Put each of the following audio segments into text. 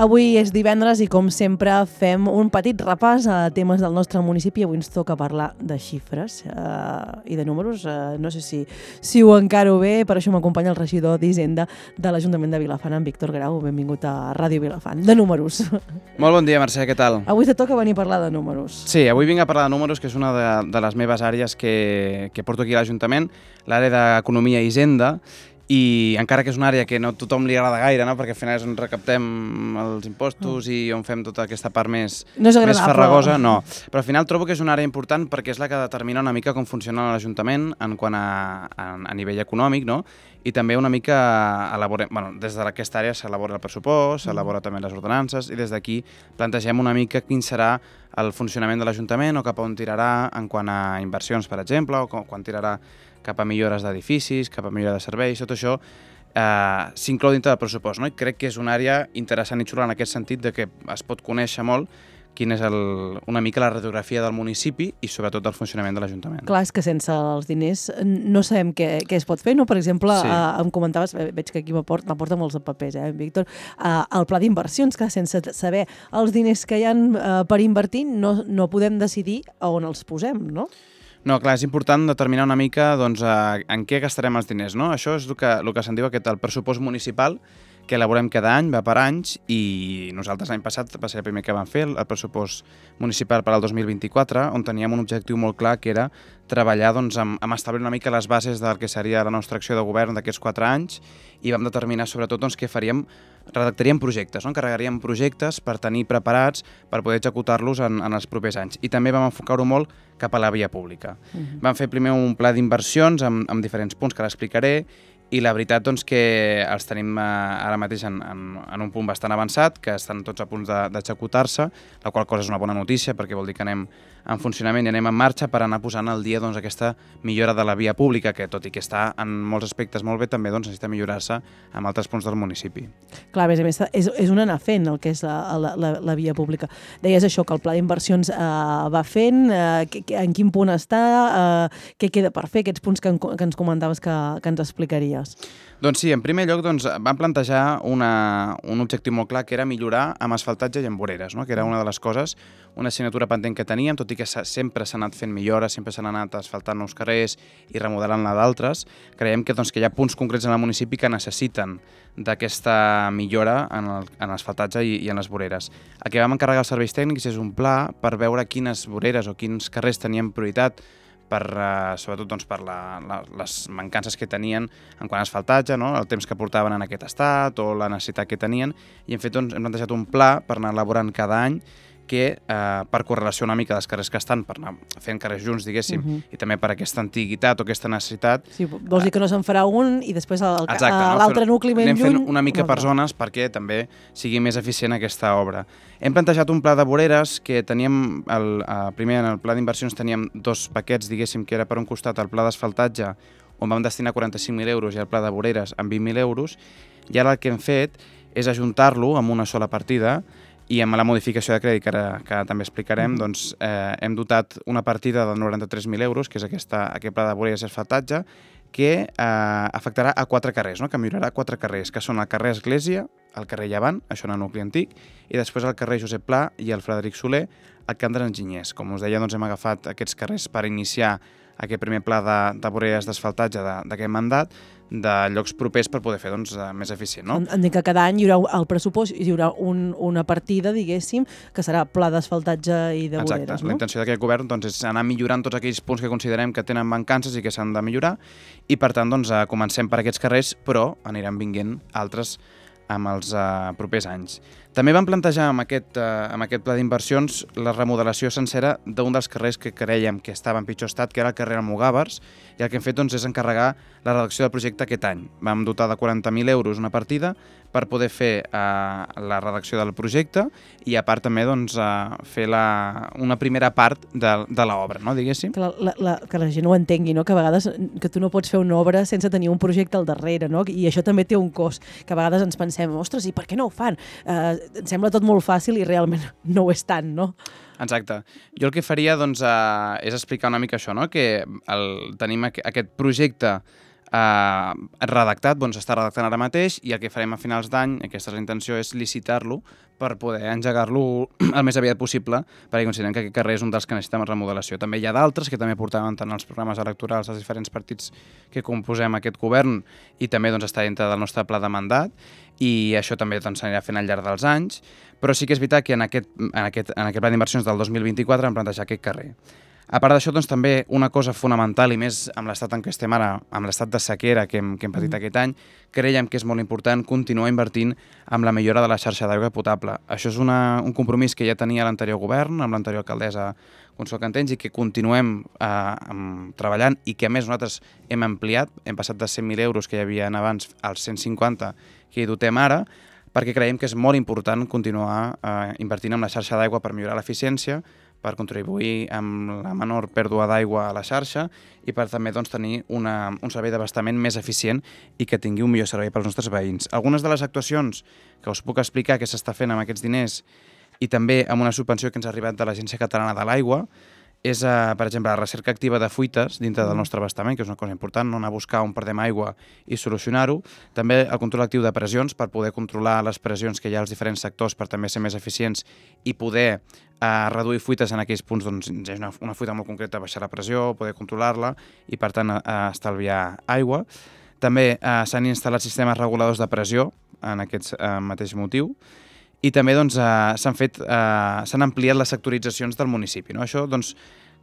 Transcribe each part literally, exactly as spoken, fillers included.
Avui és divendres i, com sempre, fem un petit repàs a temes del nostre municipi. Avui ens toca parlar de xifres uh, i de números. Uh, no sé si, si ho encaro bé, per això m'acompanya el regidor d'Hisenda de l'Ajuntament de Vilafant, en Víctor Grau. Benvingut a Ràdio Vilafant. De números. Molt bon dia, Mercè, què tal? Avui te toca venir a parlar de números. Sí, avui vinc a parlar de números, que és una de, de les meves àrees que, que porto aquí a l'Ajuntament, l'àrea d'Economia i Hisenda, i encara que és una àrea que no a tothom li agrada gaire, no? Perquè al final és on recaptem els impostos i on fem tota aquesta part més, no més farragosa, no. Però al final trobo que és una àrea important perquè és la que determina una mica com funciona l'Ajuntament en quant a, a, a nivell econòmic, no? I també una mica elaborem, bueno, des d'aquesta àrea s'elabora el pressupost, s'elabora també les ordenances i des d'aquí plantegem una mica quin serà el funcionament de l'Ajuntament o cap on tirarà en quant a inversions, per exemple, o quan tirarà cap a millores d'edificis, cap a millora de serveis, tot això eh, s'inclou dintre del pressupost, no? I crec que és una àrea interessant i xula en aquest sentit de que es pot conèixer molt quina és el, una mica la radiografia del municipi i sobretot del funcionament de l'Ajuntament. Clar, és que sense els diners no sabem què, què es pot fer, no? Per exemple, sí. eh, em comentaves, veig que aquí m'aporta molts papers, eh, Víctor, eh, el pla d'inversions, que sense saber els diners que hi ha eh, per invertir no, no podem decidir a on els posem, no? No, clar, és important determinar una mica doncs, en què gastarem els diners, no? Això és el que, el que se'n diu aquest, el pressupost municipal, que elaborem cada any, va per anys, i nosaltres l'any passat va ser el primer que vam fer, el pressupost municipal per al dos mil vint-i-quatre, on teníem un objectiu molt clar, que era treballar doncs, amb, amb establir una mica les bases del que seria la nostra acció de govern d'aquests quatre anys, i vam determinar sobretot doncs, què faríem, redactaríem projectes, no? Encarregaríem projectes per tenir preparats per poder executar-los en, en els propers anys. I també vam enfocar-ho molt cap a la via pública. Uh-huh. Vam fer primer un pla d'inversions amb, amb diferents punts que ara explicaré, i la veritat doncs, que els tenim eh, ara mateix en, en, en un punt bastant avançat, que estan tots a punts d'executar-se, la qual cosa és una bona notícia perquè vol dir que anem en funcionament i anem en marxa per anar posant al dia doncs, aquesta millora de la via pública, que tot i que està en molts aspectes molt bé, també doncs, necessita millorar-se en altres punts del municipi. Clar, a més a més, és, és un anar fent el que és la, la, la, la via pública. Deies això, que el pla d'inversions eh, va fent, eh, que, que, en quin punt està, eh, què queda per fer, aquests punts que, en, que ens comentaves que, que ens explicaries. Doncs sí, en primer lloc doncs, vam plantejar una, un objectiu molt clar, que era millorar amb asfaltatge i amb voreres, no? Que era una de les coses, una assignatura pendent que teníem, tot i que sempre s'ha anat fent millores, sempre s'han anat asfaltant nous carrers i remodelant-ne d'altres. Creiem que, doncs, que hi ha punts concrets en el municipi que necessiten d'aquesta millora en, el, en l'asfaltatge i, i en les voreres. El que vam encarregar als serveis tècnics és un pla per veure quines voreres o quins carrers tenien prioritat per, uh, sobretot doncs, per la, la, les mancances que tenien en quant a asfaltatge, no? El temps que portaven en aquest estat o la necessitat que tenien, i hem fet doncs, hem plantejat un pla per anar elaborant cada any que eh, per correlació una mica dels carrers que estan, per anar fent carrers junts, diguéssim, uh -huh. i també per aquesta antiguitat o aquesta necessitat. Sí, vols dir que no se'n farà un i després l'altre no? nucli ben anem lluny... Anem fent una mica per zones perquè també sigui més eficient aquesta obra. Hem plantejat un pla de voreres que teníem, el, eh, primer en el pla d'inversions teníem dos paquets, diguéssim, que era per un costat el pla d'asfaltatge, on vam destinar quaranta-cinc mil euros, i el pla de voreres amb vint mil euros, i ara el que hem fet és ajuntar-lo amb una sola partida, i amb la modificació de crèdit, que ara, que ara també explicarem, doncs, eh, hem dotat una partida de noranta-tres mil euros, que és aquesta, aquest pla de voreres i asfaltatge, que eh, afectarà a quatre carrers, no? Que millorarà quatre carrers, que són el carrer Església, el carrer Llevant, això en el nucli antic, i després el carrer Josep Pla i el Frederic Soler, al Camp dels Enginyers. Com us deia, doncs, hem agafat aquests carrers per iniciar aquest primer pla de, de voreres d'asfaltatge d'aquest mandat, de llocs propers per poder fer doncs, més eficient. No? Entenc que cada any hi haurà el pressupost, hi haurà un, una partida, diguéssim, que serà pla d'asfaltatge i de voreres. Exacte. No? La intenció d'aquest govern doncs, és anar millorant tots aquells punts que considerem que tenen mancances i que s'han de millorar, i per tant doncs, comencem per aquests carrers, però aniran vinguent altres amb els uh, propers anys. També vam plantejar amb aquest, uh, amb aquest pla d'inversions la remodelació sencera d'un dels carrers que creiem que estava en pitjor estat, que era el carrer Almogàvers, i el que hem fet doncs, és encarregar la redacció del projecte aquest any. Vam dotar de quaranta mil euros una partida per poder fer uh, la redacció del projecte i a part també doncs, uh, fer la, una primera part de, de l'obra, no, diguéssim. Que la, la, la, que la gent ho entengui, no? Que a vegades que tu no pots fer una obra sense tenir un projecte al darrere, no? I això també té un cost, que a vegades ens pensem, ostres, i per què no ho fan? Uh, em sembla tot molt fàcil i realment no ho és tant, no? Exacte. Jo el que faria doncs, eh, és explicar una mica això, no? Que el, tenim aqu aquest projecte eh, redactat, doncs està redactant ara mateix, i el que farem a finals d'any, aquesta és la intenció, és licitar-lo per poder engegar-lo el més aviat possible, perquè considerem que aquest carrer és un dels que necessitem remodelació. També hi ha d'altres que també portaven tant els programes electorals dels diferents partits que composem aquest govern, i també doncs, està dintre del nostre pla de mandat, i això també doncs, s'anirà fent al llarg dels anys, però sí que és veritat que en aquest, en aquest, en aquest pla d'inversions del dos mil vint-i-quatre hem plantejat aquest carrer. A part d'això, doncs, també una cosa fonamental, i més amb l'estat en què estem ara, amb l'estat de sequera que hem, que hem patit mm. aquest any, creiem que és molt important continuar invertint en la millora de la xarxa d'aigua potable. Això és una, un compromís que ja tenia l'anterior govern, amb l'anterior alcaldessa Consol Cantells, i que continuem eh, treballant, i que a més nosaltres hem ampliat, hem passat de cent mil euros que hi havia abans als cent cinquanta que hi dotem ara, perquè creiem que és molt important continuar eh, invertint en la xarxa d'aigua per millorar l'eficiència, per contribuir amb la menor pèrdua d'aigua a la xarxa i per també doncs, tenir una, un servei d'abastament més eficient i que tingui un millor servei pels nostres veïns. Algunes de les actuacions que us puc explicar que s'està fent amb aquests diners i també amb una subvenció que ens ha arribat de l'Agència Catalana de l'Aigua és, eh, per exemple, la recerca activa de fuites dintre del nostre abastament, que és una cosa important, no anar a buscar on perdem aigua i solucionar-ho. També el control actiu de pressions, per poder controlar les pressions que hi ha als diferents sectors per també ser més eficients i poder eh, reduir fuites en aquells punts on doncs, hi ha una, una fuita molt concreta, baixar la pressió, poder controlar-la i, per tant, eh, estalviar aigua. També eh, s'han instal·lat sistemes reguladors de pressió en aquest eh, mateix motiu. I també doncs, eh, s'han fet, eh, s'han ampliat les sectoritzacions del municipi. No? Això doncs,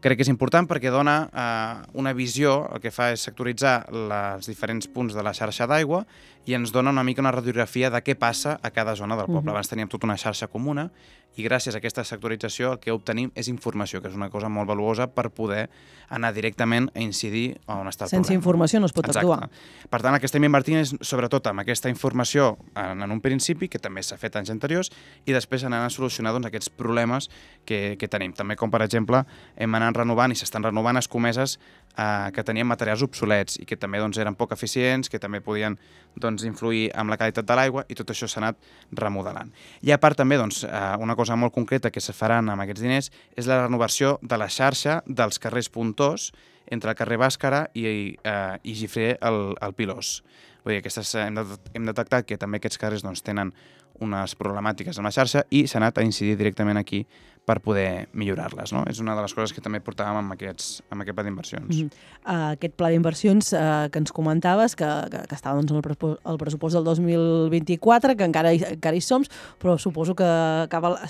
crec que és important perquè dona eh, una visió, el que fa és sectoritzar els diferents punts de la xarxa d'aigua i ens dona una mica una radiografia de què passa a cada zona del poble. Uh-huh. Abans teníem tota una xarxa comuna i gràcies a aquesta sectorització el que obtenim és informació, que és una cosa molt valuosa per poder anar directament a incidir on està el Sense problema. Sense informació no es pot Exacte. actuar. Per tant, el que estem invertint és sobretot amb aquesta informació en, en un principi, que també s'ha fet anys anteriors, i després anar a solucionar doncs, aquests problemes que, que tenim. També com, per exemple, hem anat renovant i s'estan renovant escomeses eh, que tenien materials obsolets i que també doncs, eren poc eficients, que també podien doncs, influir amb la qualitat de l'aigua, i tot això s'ha anat remodelant. I a part també, doncs, eh, una cosa molt concreta que se faran amb aquests diners és la renovació de la xarxa dels carrers puntors entre el carrer Bàscara i, eh, i Gifré el, el Pilós. Vull dir, aquestes, hem, de, hem detectat que també aquests carrers doncs, tenen unes problemàtiques en la xarxa i s'ha anat a incidir directament aquí per poder millorar-les. No? És una de les coses que també portàvem amb, aquests, amb aquest pla d'inversions. Mm-hmm. uh, aquest pla d'inversions uh, que ens comentaves, que, que, que estava doncs, en el, el pressupost del dos mil vint-i-quatre, que encara hi, encara hi som, però suposo que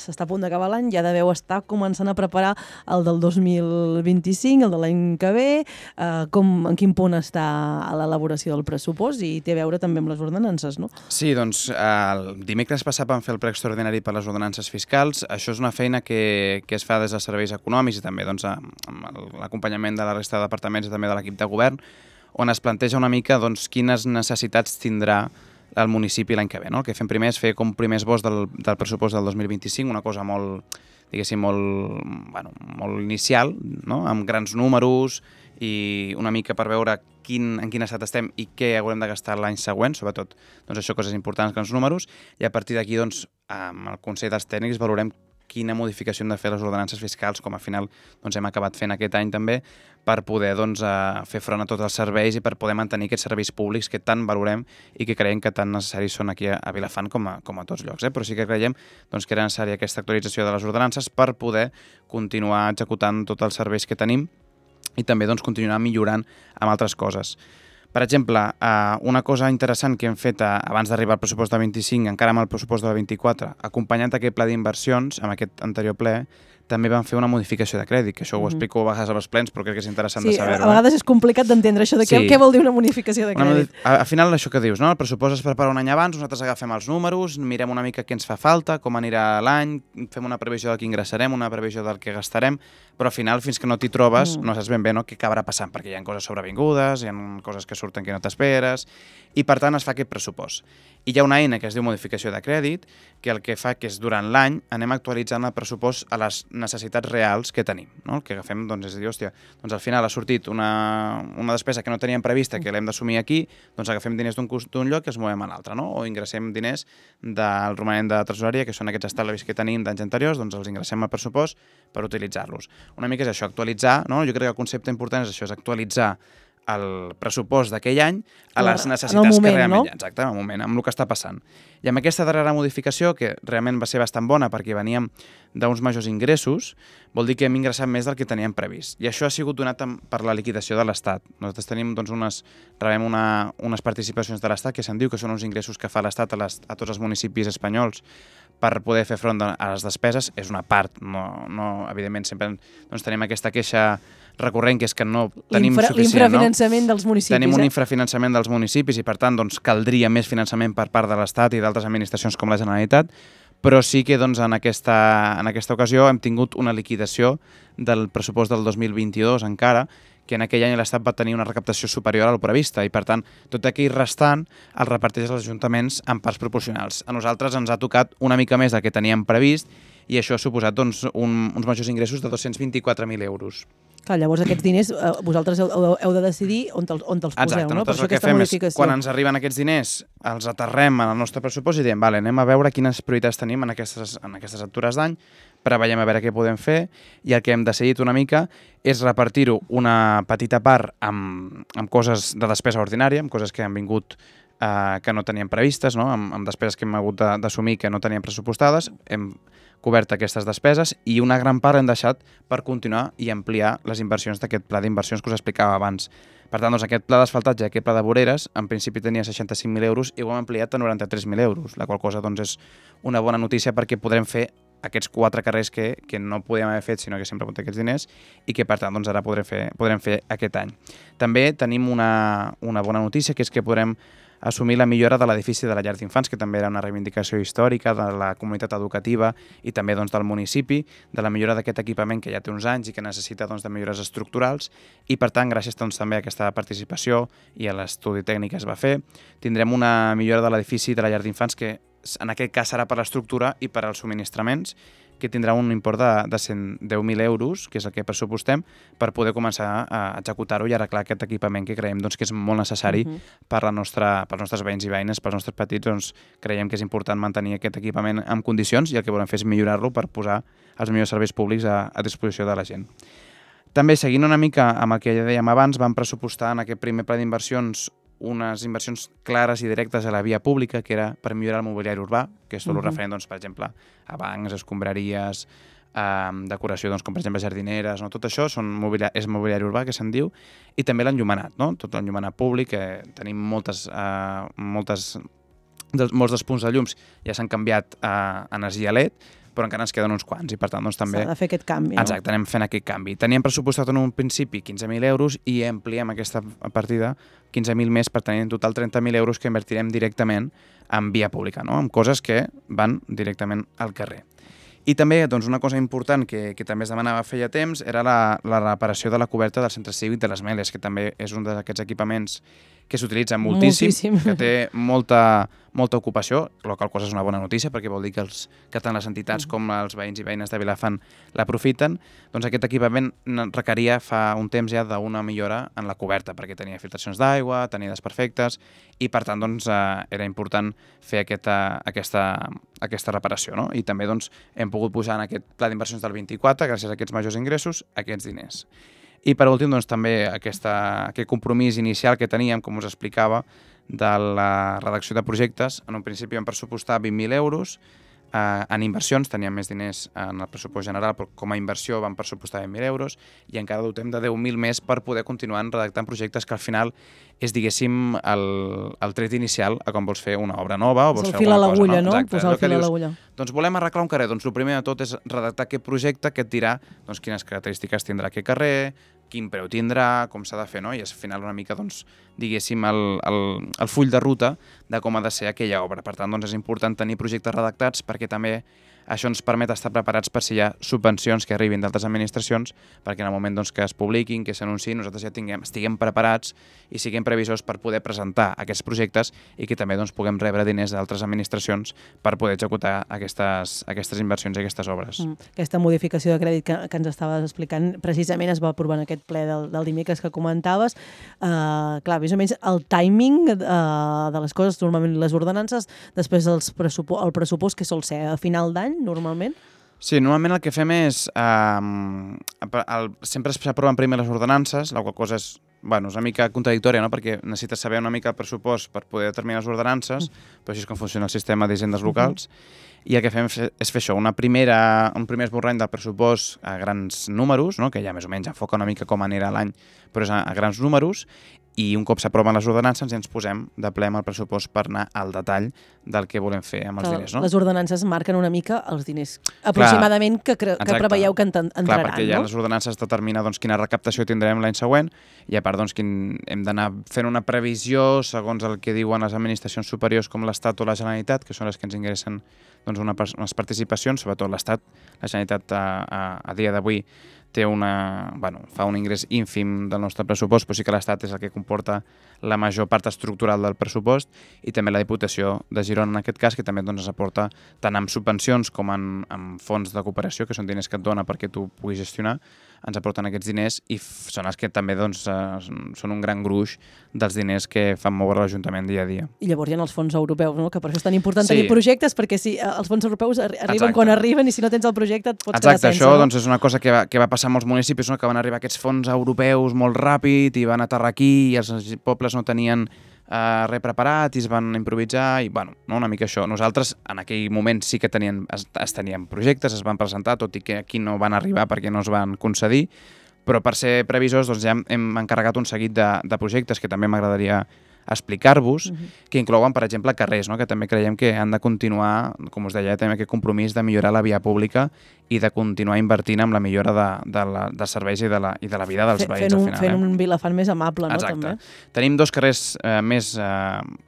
s'està a punt d'acabar l'any, ja deveu estar començant a preparar el del dos mil vint-i-cinc, el de l'any que ve, uh, com, en quin punt està a l'elaboració del pressupost, i té a veure també amb les ordenances, no? Sí, doncs el dimecres passat vam fer el ple extraordinari per les ordenances fiscals. Això és una feina que que es fa des dels serveis econòmics i també doncs, amb l'acompanyament de la resta de departaments i també de l'equip de govern, on es planteja una mica doncs, quines necessitats tindrà el municipi l'any que ve. No? El que fem primer és fer com primer esbós del, del pressupost del dos mil vint-i-cinc, una cosa molt, diguéssim, molt, bueno, molt inicial, no? Amb grans números i una mica per veure quin, en quin estat estem i què haurem de gastar l'any següent, sobretot doncs, això, coses importants, grans números, i a partir d'aquí doncs, amb el Consell dels Tècnics valorem quina modificació hem de fer les ordenances fiscals, com al final doncs, hem acabat fent aquest any també, per poder doncs, uh, fer front a tots els serveis i per poder mantenir aquests serveis públics que tant valorem i que creiem que tan necessaris són aquí a Vilafant com a, com a tots llocs. Eh? Però sí que creiem doncs, que era necessària aquesta actualització de les ordenances per poder continuar executant tots els serveis que tenim i també doncs, continuar millorant amb altres coses. Per exemple, una cosa interessant que hem fet abans d'arribar al pressupost del vint-i-cinc, encara amb el pressupost del vint-i-quatre, acompanyant aquest pla d'inversions, amb aquest anterior ple, també vam fer una modificació de crèdit, que això ho explico a vegades als plens, però crec que és interessant sí, de saber-ho. Sí, a vegades és complicat d'entendre això de què, sí. Què vol dir una modificació de crèdit. Una, al final, això que dius, no? El pressupost es prepara un any abans, nosaltres agafem els números, mirem una mica què ens fa falta, com anirà l'any, fem una previsió del que ingressarem, una previsió del que gastarem, però al final, fins que no t'hi trobes, mm. no saps ben bé no, què acabarà passant, perquè hi ha coses sobrevingudes, hi ha coses que surten que no t'esperes, i per tant es fa aquest pressupost. I hi ha una eina que es diu modificació de crèdit, que el que fa que és durant l'any anem actualitzant el pressupost a les necessitats reals que tenim. No? El que agafem doncs, és dir, hòstia, doncs al final ha sortit una, una despesa que no teníem prevista, que l'hem d'assumir aquí, doncs agafem diners d'un lloc i els movem a l'altre, no? O ingressem diners del romanent de tresoreria, que són aquests estalvis que tenim d'anys anteriors, doncs els ingressem al pressupost per utilitzar-los. Una mica és això, actualitzar, no? Jo crec que el concepte important és això, és actualitzar el pressupost d'aquell any a les En el necessitats moment, que realment no? hi ha. Exacte, en el moment, amb el que està passant. I amb aquesta darrera modificació, que realment va ser bastant bona perquè veníem d'uns majors ingressos, vol dir que hem ingressat més del que teníem previst. I això ha sigut donat per la liquidació de l'Estat. Nosaltres tenim, doncs, unes, rebem una, unes participacions de l'Estat que se'n diu que són uns ingressos que fa l'Estat a, les, a tots els municipis espanyols per poder fer front a les despeses. És una part, no, no, evidentment sempre doncs, tenim aquesta queixa recurrent, que és que no tenim L'infra, suficient. L'infrafinançament no? dels municipis. Tenim un eh? infrafinançament dels municipis i, per tant, doncs, caldria més finançament per part de l'Estat i d'altres administracions com la Generalitat, però sí que doncs, en, aquesta, en aquesta ocasió hem tingut una liquidació del pressupost del dos mil vint-i-dos encara, que en aquell any l'Estat va tenir una recaptació superior a la prevista i, per tant, tot aquell restant el reparteix als ajuntaments en parts proporcionals. A nosaltres ens ha tocat una mica més del que teníem previst i això ha suposat doncs, un, uns majors ingressos de dos-cents vint-i-quatre mil euros. Clar, llavors aquests diners eh, vosaltres heu, heu de decidir on te'ls, on te'ls poseu, Exacte, no? Per nosaltres això el que aquesta fem modificació. és, quan ens arriben aquests diners, els aterrem en el nostre pressupost i diem, vale, anem a veure quines prioritats tenim en aquestes, en aquestes altures d'any, preveiem a veure què podem fer, i el que hem decidit una mica és repartir-ho una petita part amb, amb coses de despesa ordinària, amb coses que han vingut eh, que no teníem previstes, no? amb, amb despeses que hem hagut d'assumir que no teníem pressupostades, hem cobert aquestes despeses i una gran part hem deixat per continuar i ampliar les inversions d'aquest pla d'inversions que us explicava abans. Per tant, doncs, aquest pla d'asfaltatge i aquest pla de voreres, en principi tenia seixanta-cinc mil euros i ho hem ampliat a noranta-tres mil euros, la qual cosa doncs, és una bona notícia perquè podrem fer aquests quatre carrers que, que no podíem haver fet, sinó que sempre hem aquests diners i que, per tant, doncs, ara podrem fer, podrem fer aquest any. També tenim una, una bona notícia, que és que podrem assumir la millora de l'edifici de la llar d'infants, que també era una reivindicació històrica de la comunitat educativa i també doncs, del municipi, de la millora d'aquest equipament que ja té uns anys i que necessita doncs, de millores estructurals i, per tant, gràcies doncs, també a aquesta participació i a l'estudi tècnic que es va fer, tindrem una millora de l'edifici de la llar d'infants que en aquest cas serà per l'estructura i per als subministraments, que tindrà un import de, de cent deu mil euros, que és el que pressupostem, per poder començar a executar-ho i arreglar aquest equipament que creiem doncs, que és molt necessari uh-huh. per la nostra, pels nostres veïns i veïnes, pels nostres petits, doncs, creiem que és important mantenir aquest equipament en condicions i el que volem fer és millorar-lo per posar els millors serveis públics a, a disposició de la gent. També, seguint una mica amb el que ja dèiem abans, vam pressupostar en aquest primer pla d'inversions unes inversions clares i directes a la via pública, que era per millorar el mobiliari urbà, que és tot el uh-huh. referent, doncs, per exemple, a bancs, escombraries, eh, decoració, doncs, com per exemple jardineres, no? Tot això són mobiliari, és mobiliari urbà, que se'n diu, i també l'enllumenat, no? Tot l'enllumenat públic, que tenim moltes, eh, moltes, dels, molts dels punts de llums ja s'han canviat a energia L E D, però encara ens queden uns quants i per tant doncs també... S'ha de fer aquest canvi, no? Exacte, anem fent aquest canvi. Teníem pressupostat en un principi quinze mil euros i ampliem aquesta partida quinze mil més per tenir en total trenta mil euros que invertirem directament en via pública, no? Amb coses que van directament al carrer. I també doncs, una cosa important que, que també es demanava feia temps era la, la reparació de la coberta del centre cívic de les Meles, que també és un d'aquests equipaments que s'utilitza moltíssim, moltíssim, que té molta, molta ocupació, la qual cosa és una bona notícia perquè vol dir que, els, que tant les entitats com els veïns i veïnes de Vilafant l'aprofiten. Doncs aquest equipament requeria fa un temps ja d'una millora en la coberta perquè tenia filtracions d'aigua, tenia desperfectes i per tant doncs, eh, era important fer aquesta, aquesta, aquesta reparació. No? I també doncs, hem pogut posar en aquest pla d'inversions del vint-i-quatre, gràcies a aquests majors ingressos, aquests diners. I per últim, doncs, també aquesta, aquest compromís inicial que teníem, com us explicava, de la redacció de projectes. En un principi vam pressupostar vint mil euros, eh, en inversions teníem més diners en el pressupost general, però com a inversió vam pressupostar vint mil euros i encara dotem de deu mil més per poder continuar redactant projectes que al final és, diguéssim, el, el tret inicial a com vols fer una obra nova o vols fer alguna cosa. El fil a l'agulla, no? Exacte. Posar el fil a l'agulla. Doncs volem arreglar un carrer. Doncs el primer de tot és redactar aquest projecte que et dirà doncs, quines característiques tindrà aquest carrer, quin preu tindrà, com s'ha de fer, no? I és al final una mica, doncs, diguéssim, el, el, el full de ruta de com ha de ser aquella obra. Per tant, doncs, és important tenir projectes redactats perquè també això ens permet estar preparats per si hi ha subvencions que arribin d'altres administracions, perquè en el moment doncs, que es publiquin, que s'anunciïn, nosaltres ja tinguem, estiguem preparats i siguem previsors per poder presentar aquests projectes i que també doncs, puguem rebre diners d'altres administracions per poder executar aquestes, aquestes inversions i aquestes obres. Mm. Aquesta modificació de crèdit que, que ens estaves explicant precisament es va aprovar en aquest ple del, del dimecres que comentaves. Uh, clar, més o menys el timing uh, de les coses, normalment les ordenances, després els pressupo el pressupost que sol ser a final d'any, normalment? Sí, normalment el que fem és... Eh, el, sempre s'aproven primer les ordenances, la qual cosa és bueno, és una mica contradictòria, no? Perquè necessites saber una mica el pressupost per poder determinar les ordenances, mm. però així és com funciona el sistema d'hisendes locals, mm-hmm. i el que fem és fer això, una primera, un primer esborrany del pressupost a grans números, no? Que ja més o menys enfoca una mica com anirà l'any, però és a, a grans números, i un cop s'aproven les ordenances ja ens posem de ple amb el pressupost per anar al detall del que volem fer amb els Clar, diners. No? Les ordenances marquen una mica els diners aproximadament que, que preveieu que entraran. Clar, perquè ja no? les ordenances determinen doncs, quina recaptació tindrem l'any següent i a part doncs, quin, hem d'anar fent una previsió segons el que diuen les administracions superiors com l'Estat o la Generalitat, que són les que ens ingressen doncs, una, unes participacions, sobretot l'Estat. La Generalitat a, a, a dia d'avui té una, bueno, fa un ingrés ínfim del nostre pressupost, però sí que l'Estat és el que comporta la major part estructural del pressupost, i també la Diputació de Girona en aquest cas, que també doncs, ens aporta tant amb subvencions com en, en fons de cooperació, que són diners que et dona perquè tu puguis gestionar, ens aporten aquests diners i són els que també doncs, són un gran gruix dels diners que fan moure l'Ajuntament dia a dia. I llavors hi ha els fons europeus, no? Que per això és tan important sí. tenir projectes, perquè si els fons europeus arriben Exacte. Quan arriben i si no tens el projecte et pots Exacte, quedar sense. Això no? doncs, és una cosa que va, que va passar a molts municipis, no? Que van arribar aquests fons europeus molt ràpid i van aterrar aquí i els pobles no tenien Uh, res preparat i es van improvisar i bueno, no, una mica això. Nosaltres en aquell moment sí que tenien, es, es tenien projectes, es van presentar, tot i que aquí no van arribar perquè no es van concedir, però per ser previsors doncs, ja hem, hem encarregat un seguit de, de projectes que també m'agradaria explicar-vos, uh-huh. que inclouen, per exemple, carrers, no? Que també creiem que han de continuar, com us deia, també aquest compromís de millorar la via pública i de continuar invertint en la millora de, de la, dels serveis i de, la, i de la vida dels veïns. Fent un, al final, fent eh? un Vilafant més amable, no? Exacte. També. Tenim dos carrers eh, més eh,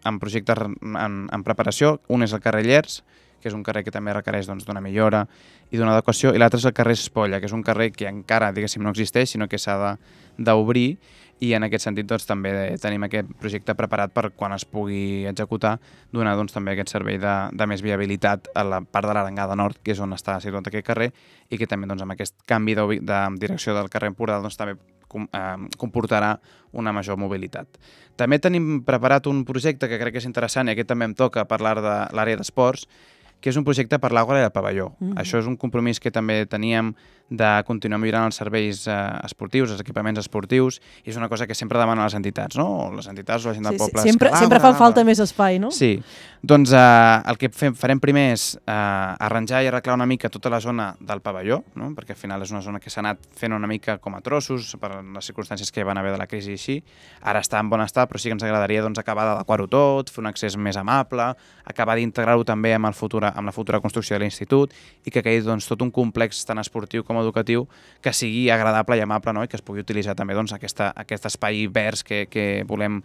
en projectes en, en preparació. Un és el carrer Llers, que és un carrer que també requereix doncs, d'una millora i d'una adequació, i l'altre és el carrer Espolla, que és un carrer que encara, diguéssim, no existeix, sinó que s'ha d'obrir, i en aquest sentit doncs, també tenim aquest projecte preparat per quan es pugui executar, donar doncs, també aquest servei de, de més viabilitat a la part de l'Arengada Nord, que és on està situat aquest carrer, i que també doncs, amb aquest canvi de, de direcció del carrer Empordà doncs, també com, eh, comportarà una major mobilitat. També tenim preparat un projecte que crec que és interessant, i aquest també em toca parlar de l'àrea d'esports, que és un projecte per l'Àgora i el Pavelló. Mm. Això és un compromís que també teníem de continuar millorant els serveis eh, esportius, els equipaments esportius, i és una cosa que sempre demanen les entitats, no? Les entitats o la gent del sí, poble. Sí, sempre, sempre fa falta més espai, no? Sí. Doncs eh, el que fem, farem primer és eh, arranjar i arreglar una mica tota la zona del pavelló, no? Perquè al final és una zona que s'ha anat fent una mica com a trossos per les circumstàncies que van haver de la crisi i així. Ara està en bon estat, però sí que ens agradaria doncs, acabar d'adequar-ho tot, fer un accés més amable, acabar d'integrar-ho també amb, el futura, amb la futura construcció de l'institut i que quedi doncs, tot un complex tant esportiu com educatiu que sigui agradable i amable, no? I que es pugui utilitzar també doncs, aquesta, aquest espai verds que, que volem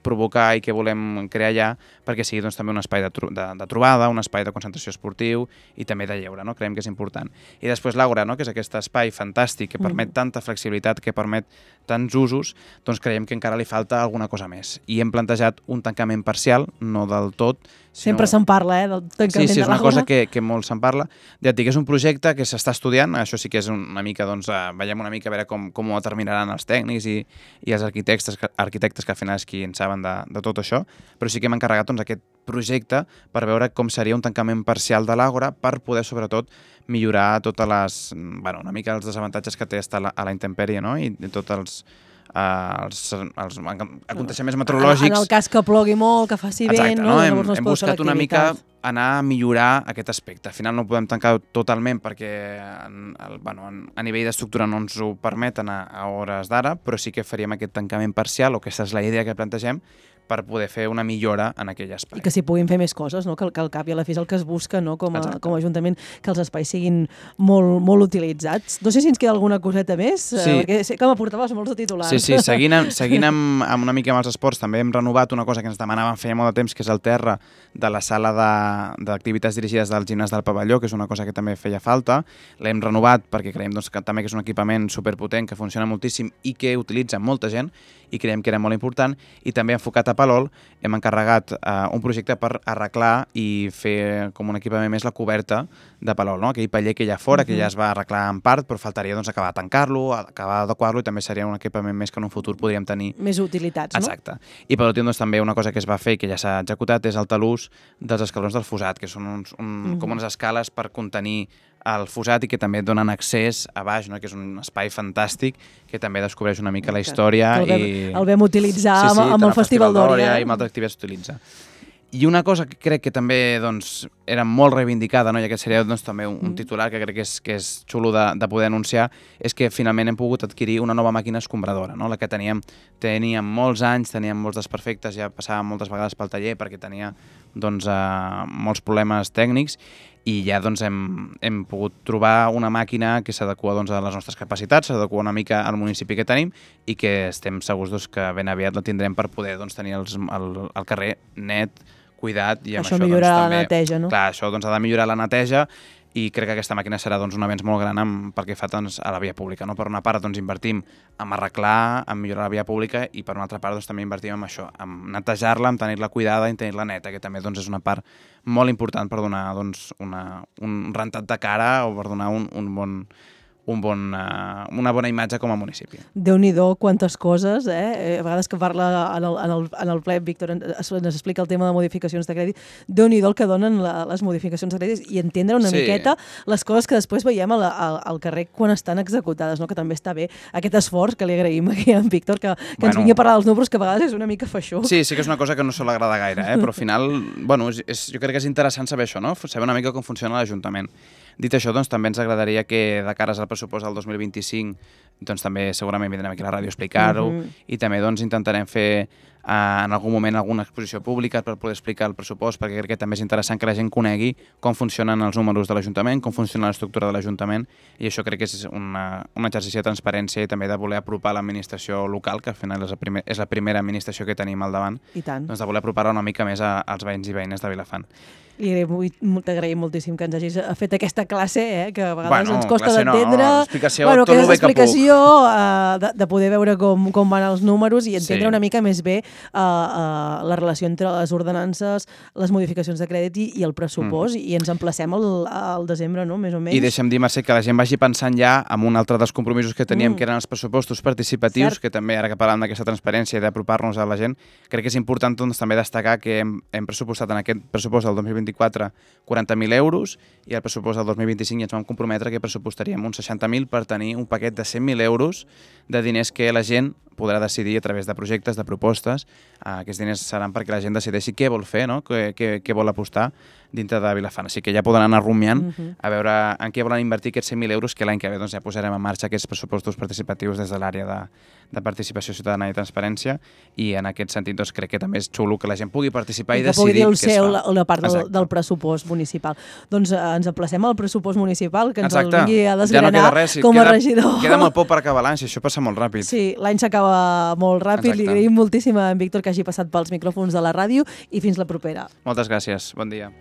provocar i que volem crear allà perquè sigui doncs, també un espai de, tro de, de trobada, un espai de concentració esportiu i també de lleure, no? Creiem que és important. I després l'Àgora, no? Que és aquest espai fantàstic que permet mm. tanta flexibilitat, que permet tants usos, doncs creiem que encara li falta alguna cosa més. I hem plantejat un tancament parcial, no del tot. Sinó... Sempre se'n parla, eh, del tancament sí, sí, de l'Àgora. Sí, és una cosa que, que molt se'n parla. Ja et dic, és un projecte que s'està estudiant, això sí que és una mica, doncs, eh, veiem una mica a veure com, com ho determinaran els tècnics i, i els arquitectes, arquitectes que al final és qui en saben de, de tot això, però sí que hem encarregat doncs, aquest projecte per veure com seria un tancament parcial de l'Àgora per poder, sobretot, millorar totes les, bueno, una mica els desavantatges que té estar a la, a la intempèrie, no? I, i tots els, uh, els, els aconteixements meteorològics. En el cas que plogui molt, que faci Exacte, vent, no? Hem, hem buscat una mica anar a millorar aquest aspecte. Al final no podem tancar totalment perquè en, el, bueno, en, a nivell d'estructura no ens ho permeten a, a hores d'ara, però sí que faríem aquest tancament parcial, o aquesta és la idea que plantegem, per poder fer una millora en aquell espai. I que s'hi puguin fer més coses, no? Que, que al cap i a la fi és el que es busca, no? Com a, com a Ajuntament, que els espais siguin molt, molt utilitzats. No sé si ens queda alguna coseta més, sí. eh, perquè sé que m'aportaves molts de titulars. Sí, sí, seguint, amb, seguint amb, amb una mica amb els esports, també hem renovat una cosa que ens demanaven feia molt de temps, que és el terra de la sala d'activitats dirigides del gimnàs del pavelló, que és una cosa que també feia falta. L'hem renovat perquè creiem doncs, que també que és un equipament superpotent, que funciona moltíssim i que utilitza molta gent, i creiem que era molt important, i també enfocat a Palol hem encarregat uh, un projecte per arreglar i fer com un equipament més la coberta de Palol, no? Aquell paller que hi ha fora, uh-huh. que ja es va arreglar en part, però faltaria doncs, acabar de tancar-lo, acabar d'adequar-lo, i també seria un equipament més que en un futur podríem tenir. Més utilitats, no? Exacte. I per últim, doncs, també una cosa que es va fer i que ja s'ha executat és el talús dels escalons del Fosat, que són uns, un, uh-huh. com unes escales per contenir al fossat i que també et donen accés a baix, no? Que és un espai fantàstic que també descobreix una mica la història. Que el, vam, i... el vam utilitzar sí, sí, amb, amb el Festival d'Òria. I amb altres activitats s'utilitza. I una cosa que crec que també doncs, era molt reivindicada, no? I aquest seria doncs, també un, un titular que crec que és, que és xulo de, de poder anunciar, és que finalment hem pogut adquirir una nova màquina escombradora, no? La que teníem, teníem molts anys, teníem molts desperfectes, ja passàvem moltes vegades pel taller perquè tenia doncs, uh, molts problemes tècnics, i ja doncs, hem, hem pogut trobar una màquina que s'adequa doncs, a les nostres capacitats, s'adequa una mica al municipi que tenim i que estem segurs doncs, que ben aviat la tindrem per poder doncs, tenir els, el, el carrer net, cuidat. I amb això, això millorarà doncs, també, la neteja, no? Clar, això doncs, ha de millorar la neteja i crec que aquesta màquina serà doncs, un avenç molt gran amb, pel que fa doncs, a la via pública. No? Per una part doncs, invertim en arreglar, en millorar la via pública i per una altra part doncs, també invertim en això, en netejar-la, en tenir-la cuidada i en tenir-la neta, que també doncs, és una part molt important per donar doncs, una, un rentat de cara o per donar un, un bon... Un bon, uh, una bona imatge com a municipi. Déu-n'hi-do, quantes coses, eh? A vegades que parla en el, en el, en el ple, Víctor ens, ens explica el tema de modificacions de crèdit, Déu-n'hi-do el que donen la, les modificacions de crèdit i entendre una sí. miqueta les coses que després veiem al, al, al carrer quan estan executades, no? Que també està bé aquest esforç que li agraïm aquí a en Víctor, que, que bueno, ens vingui a parlar dels números, que a vegades és una mica feixuc. Sí, sí que és una cosa que no se l'agrada gaire, eh? Però al final, bueno, és, és, jo crec que és interessant saber això, no? Saber una mica com funciona l'Ajuntament. Dit això, doncs, també ens agradaria que de cares al pressupost del dos mil vint-i-cinc doncs, també segurament vindrem aquí a la ràdio a explicar-ho uh-huh. i també doncs, intentarem fer eh, en algun moment alguna exposició pública per poder explicar el pressupost, perquè crec que també és interessant que la gent conegui com funcionen els números de l'Ajuntament, com funciona l'estructura de l'Ajuntament, i això crec que és una, un exercici de transparència i també de voler apropar l'administració local, que al final és la, primer, és la primera administració que tenim al davant, I tant. Doncs de voler apropar-la una mica més a, als veïns i veïnes de Vilafant. I t'agraïm moltíssim que ens hagis fet aquesta classe, eh, que a vegades bueno, ens costa d'entendre. No, explicació, bueno, tot que és el bé l'explicació uh, de, de poder veure com, com van els números i entendre sí. una mica més bé uh, uh, la relació entre les ordenances, les modificacions de crèdit i, i el pressupost, mm. i ens emplacem al, al desembre, no?, més o menys. I deixa'm dir, Mercè, que la gent vagi pensant ja en un altre dels compromisos que teníem, mm. que eren els pressupostos participatius, Cert. que també, ara que parlem d'aquesta transparència i d'apropar-nos a la gent, crec que és important doncs, també destacar que hem, hem pressupostat en aquest pressupost del dos mil vint-i-quatre quaranta mil euros i al pressupost del dos mil vint-i-cinc ja ens vam comprometre que pressupostaríem uns seixanta mil per tenir un paquet de cent mil euros de diners que la gent podrà decidir a través de projectes, de propostes. Uh, aquests diners seran perquè la gent decideixi què vol fer, no? què, què, què vol apostar dintre de Vilafant. Així que ja poden anar rumiant uh -huh. a veure en què volen invertir aquests cent mil euros, que l'any que ve doncs, ja posarem en marxa aquests pressupostos participatius des de l'àrea de, de participació ciutadana i transparència, i en aquest sentit doncs, crec que també és xulo que la gent pugui participar i, i decidir què es fa. Que pugui dir el seu, la, la part del, del pressupost municipal. Doncs eh, ens emplacem al pressupost municipal, que ens Exacte. el vingui a desgranar ja no res, com queda, a regidor. Queda molt poc per acabar l'any, si això passa molt ràpid. Sí, l'any s'acaba molt ràpid. Exacte. Li agraïm moltíssim a en Víctor que hagi passat pels micròfons de la ràdio i fins la propera. Moltes gràcies. Bon dia.